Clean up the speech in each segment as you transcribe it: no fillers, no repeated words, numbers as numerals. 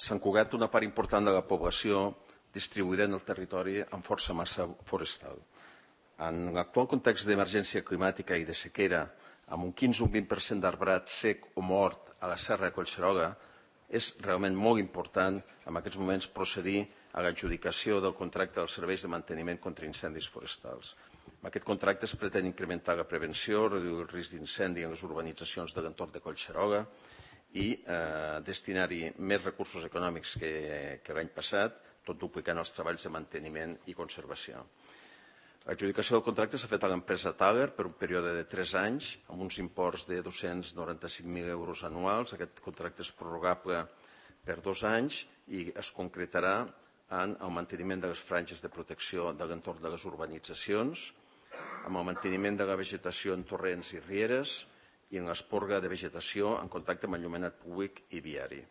Sant Cugat té una part important de la població distribuïda en el territori amb força massa forestal. En l'actual context d'emergència climàtica i de sequera, amb un 15 o un 20% d'arbrat sec o mort a la Serra de Collserola, és realment molt important en aquests moments procedir a l'adjudicació del contracte dels serveis de manteniment contra incendis forestals. Amb aquest contracte es pretén incrementar la prevenció, reduir el risc d'incendi en les urbanitzacions de l'entorn de Collserola i destinar-hi més recursos econòmics que l'any passat, tot duplicant els treballs de manteniment i conservació. L'adjudicació del contracte s'ha fet a l'empresa Thaler per un període de 3 anys, amb uns imports de 295.000 euros anuals. Aquest contracte és prorrogable per 2 anys i es concretarà en el manteniment de les franges de protecció de l'entorn de les urbanitzacions, amb el manteniment de la vegetació en torrents i rieres i en l'esporga de vegetació en contacte amb enllumenat públic i viari.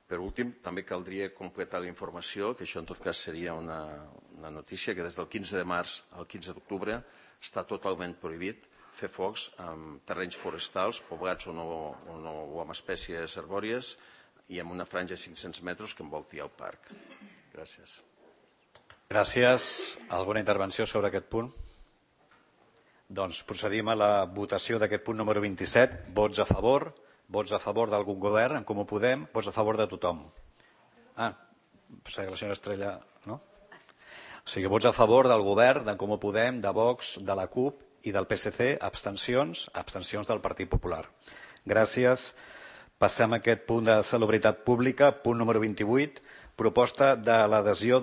Per últim, també caldria completar la informació, que això en tot cas seria una notícia, que des del 15 de març al 15 d'octubre està totalment prohibit fer focs en terrenys forestals poblats o amb espècies arbòries i amb una franja de 500 metres que envolti el parc. Gràcies. Gràcies. Alguna intervenció sobre aquest punt? Doncs procedim a la votació d'aquest punt número 27. Vots a favor? Vots a favor d'algun govern, en Comú Podem? Vots a favor de tothom? La senyora Estrella, no? O sigui, vots a favor del govern, d'en Comú Podem, de Vox, de la CUP i del PSC, abstencions del Partit Popular. Gràcies. Passem a aquest punt de salubritat pública, punt número 28, proposta de l'adhesió de